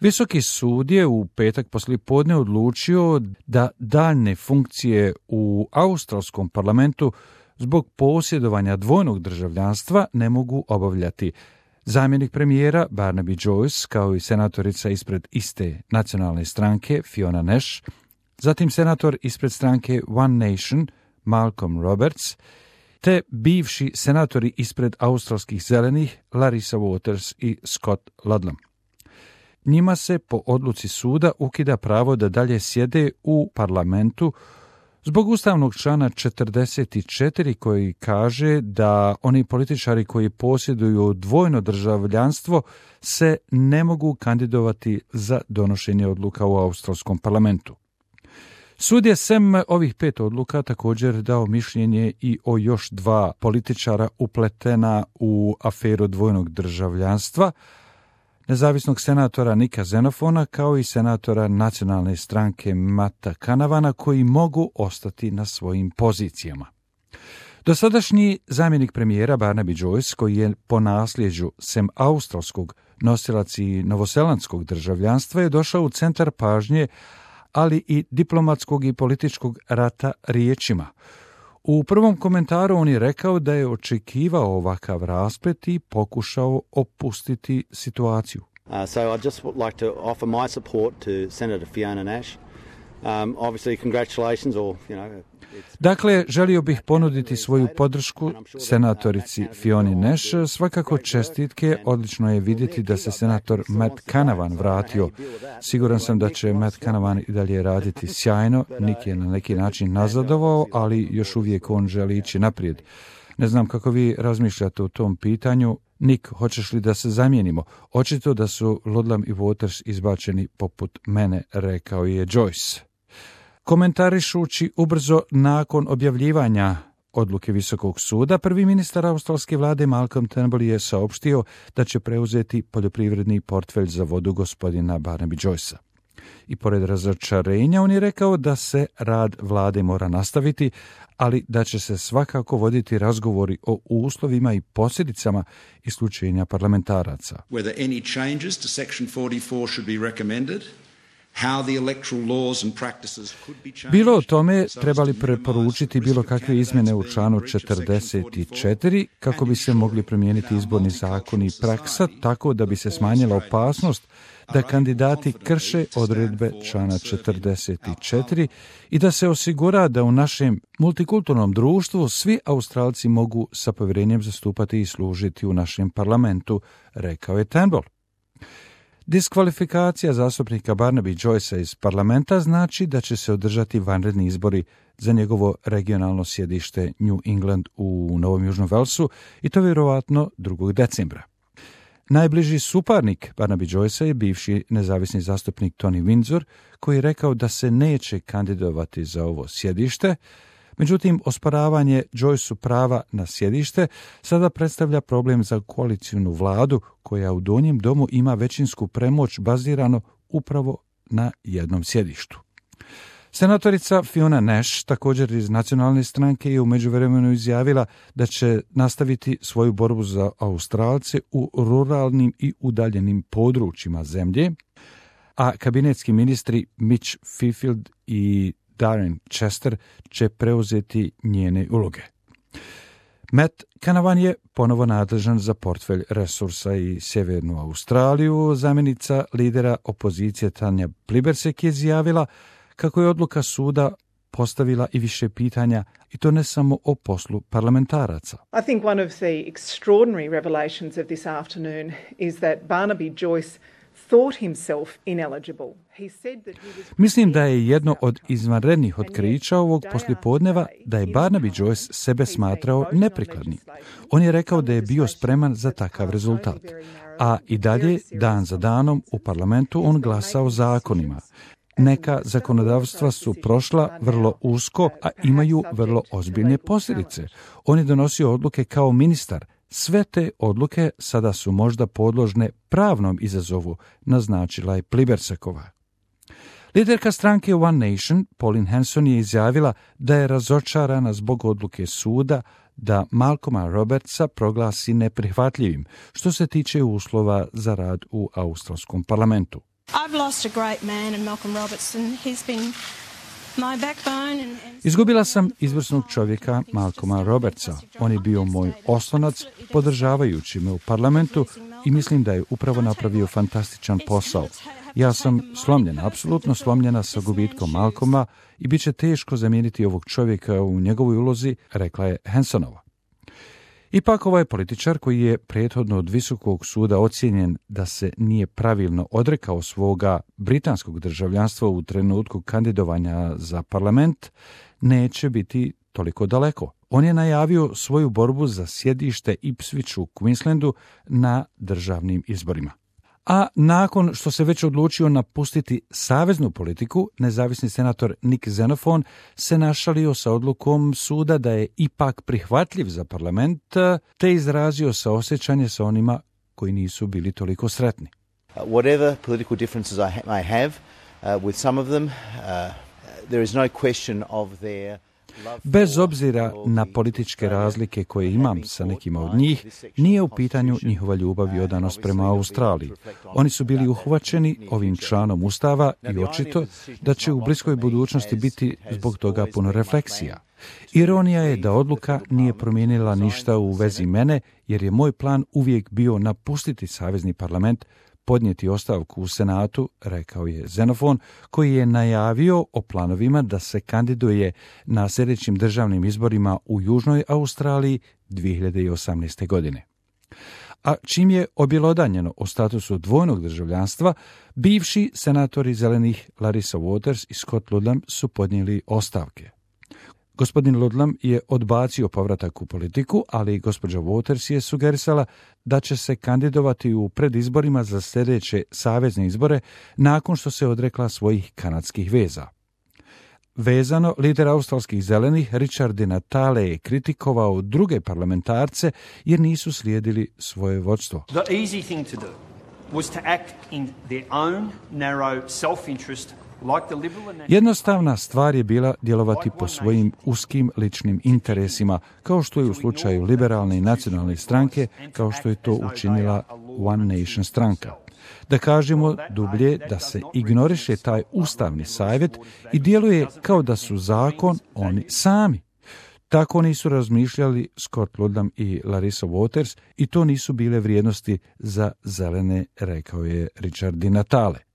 Visoki sud je u petak poslijepodne odlučio da daljne funkcije u australskom parlamentu zbog posjedovanja dvojnog državljanstva ne mogu obavljati zamjenik premijera Barnaby Joyce, kao i senatorica ispred iste nacionalne stranke Fiona Nash, zatim senator ispred stranke One Nation Malcolm Roberts, te bivši senatori ispred australskih zelenih Larissa Waters i Scott Ludlam. Njima se po odluci suda ukida pravo da dalje sjede u parlamentu zbog ustavnog člana 44 koji kaže da oni političari koji posjeduju dvojno državljanstvo se ne mogu kandidovati za donošenje odluka u australskom parlamentu. Sud je sem ovih 5 odluka također dao mišljenje i o još 2 političara upletena u aferu dvojnog državljanstva, nezavisnog senatora Nika Xenofona kao i senatora nacionalne stranke Matta Canavana, koji mogu ostati na svojim pozicijama. Dosadašnji zamjenik premijera Barnaby Joyce, koji je po nasljeđu sem australskog nosilac i novozelandskog državljanstva, je došao u centar pažnje, ali i diplomatskog i političkog rata riječima. U prvom komentaru on je rekao da je očekivao ovakav rasplet i pokušao opustiti situaciju. So I'd just like to offer my support to Senator Fiona Nash. Obviously congratulations or Dakle, želio bih ponuditi svoju podršku senatorici Fioni Nash. Svakako čestitke, odlično je vidjeti da se senator Matt Canavan vratio. Siguran sam da će Matt Canavan i dalje raditi sjajno. Nick je na neki način nazadovao, ali još uvijek on želi ići naprijed. Ne znam kako vi razmišljate o tom pitanju. Nick, hoćeš li da se zamijenimo? Očito da su Ludlam i Waters izbačeni poput mene, rekao je Joyce. Komentarišući ubrzo nakon objavljivanja odluke Visokog suda, prvi ministar australske vlade Malcolm Turnbull je saopštio da će preuzeti poljoprivredni portfelj za vodu gospodina Barnaby Joycea. I pored razočarenja on je rekao da se rad vlade mora nastaviti, ali da će se svakako voditi razgovori o uslovima i posljedicama isključenja parlamentaraca. Whether any changes to section 44 should be recommended. Bilo o tome trebali preporučiti bilo kakve izmjene u članu 44 kako bi se mogli promijeniti izborni zakon i praksa tako da bi se smanjila opasnost da kandidati krše odredbe člana 44 i da se osigura da u našem multikulturnom društvu svi Australci mogu sa povjerenjem zastupati i služiti u našem parlamentu, rekao je Turnbull. Diskvalifikacija zastupnika Barnaby Joycea iz parlamenta znači da će se održati vanredni izbori za njegovo regionalno sjedište New England u Novom Južnom Walesu i to vjerovatno 2. decembra. Najbliži suparnik Barnaby Joycea je bivši nezavisni zastupnik Tony Windsor, koji je rekao da se neće kandidovati za ovo sjedište. Međutim, osporavanje Joyceu prava na sjedište sada predstavlja problem za koalicijnu vladu koja u Donjem domu ima većinsku premoć bazirano upravo na jednom sjedištu. Senatorica Fiona Nash, također iz nacionalne stranke, je u međuvremenu izjavila da će nastaviti svoju borbu za Australce u ruralnim i udaljenim područjima zemlje, a kabinetski ministri Mitch Fifield i Darren Chester će preuzeti njene uloge. Matt Canavan je ponovo nadležan za portfelj resursa i Sjevernu Australiju. Zamjenica lidera opozicije Tanja Plibersek je izjavila kako je odluka suda postavila i više pitanja, i to ne samo o poslu parlamentaraca. I think one of the extraordinary revelations of this afternoon is that Barnaby Joyce thought himself ineligible. Mislim da je jedno od izvanrednih otkrića ovog poslijepodneva da je Barnaby Joyce sebe smatrao neprikladnim. On je rekao da je bio spreman za takav rezultat, a i dalje, dan za danom, u parlamentu on glasao zakonima. Neka zakonodavstva su prošla vrlo usko, a imaju vrlo ozbiljne posljedice. On je donosio odluke kao ministar. Sve te odluke sada su možda podložne pravnom izazovu, naznačila je Plibersekova. Liderka stranke One Nation, Pauline Hanson, je izjavila da je razočarana zbog odluke suda da Malcolma Robertsa proglasi neprihvatljivim što se tiče uslova za rad u australskom parlamentu. I've lost a great man in Malcolm Robertson. He's been my backbone Izgubila sam izvrsnog čovjeka Malcolma Robertsa. On je bio moj oslonac, podržavajući me u parlamentu i mislim da je upravo napravio fantastičan posao. Ja sam slomljena, apsolutno slomljena sa gubitkom Malcolma i bit će teško zamijeniti ovog čovjeka u njegovoj ulozi, rekla je Hansonova. Ipak ovaj političar koji je prethodno od Visokog suda ocijenjen da se nije pravilno odrekao svoga britanskog državljanstva u trenutku kandidovanja za parlament, neće biti toliko daleko. On je najavio svoju borbu za sjedište Ipswich u Queenslandu na državnim izborima. A nakon što se već odlučio napustiti saveznu politiku, nezavisni senator Nick Xenophon se našalio sa odlukom suda da je ipak prihvatljiv za parlament, te izrazio saosjećanje sa onima koji nisu bili toliko sretni. Whatever political differences I have with some of them, there is no question of their... Bez obzira na političke razlike koje imam sa nekima od njih, nije u pitanju njihova ljubav i odanost prema Australiji. Oni su bili uhvaćeni ovim članom Ustava i očito da će u bliskoj budućnosti biti zbog toga puno refleksija. Ironija je da odluka nije promijenila ništa u vezi mene, jer je moj plan uvijek bio napustiti savezni parlament, podnijeti ostavku u Senatu, rekao je Xenophon, koji je najavio o planovima da se kandiduje na sljedećim državnim izborima u Južnoj Australiji 2018. godine. A čim je objelodanjeno o statusu dvojnog državljanstva, bivši senatori zelenih Larissa Waters i Scott Ludlam su podnijeli ostavke. Gospodin Ludlam je odbacio povratak u politiku, ali gospođa Waters je sugerisala da će se kandidovati u predizborima za sljedeće savezne izbore nakon što se odrekla svojih kanadskih veza. Vezano, lider australskih zelenih Richard Di Natale je kritikovao druge parlamentarce jer nisu slijedili svoje vodstvo. The easy thing to do was to act in their own narrow self-interest. Jednostavna stvar je bila djelovati po svojim uskim ličnim interesima, kao što je u slučaju liberalne i nacionalne stranke, kao što je to učinila One Nation stranka. Da kažemo dublje, da se ignoriše taj ustavni savjet i djeluje kao da su zakon oni sami. Tako nisu razmišljali Scott Ludlam i Larissa Waters i to nisu bile vrijednosti za zelene, rekao je Richard Di Natale.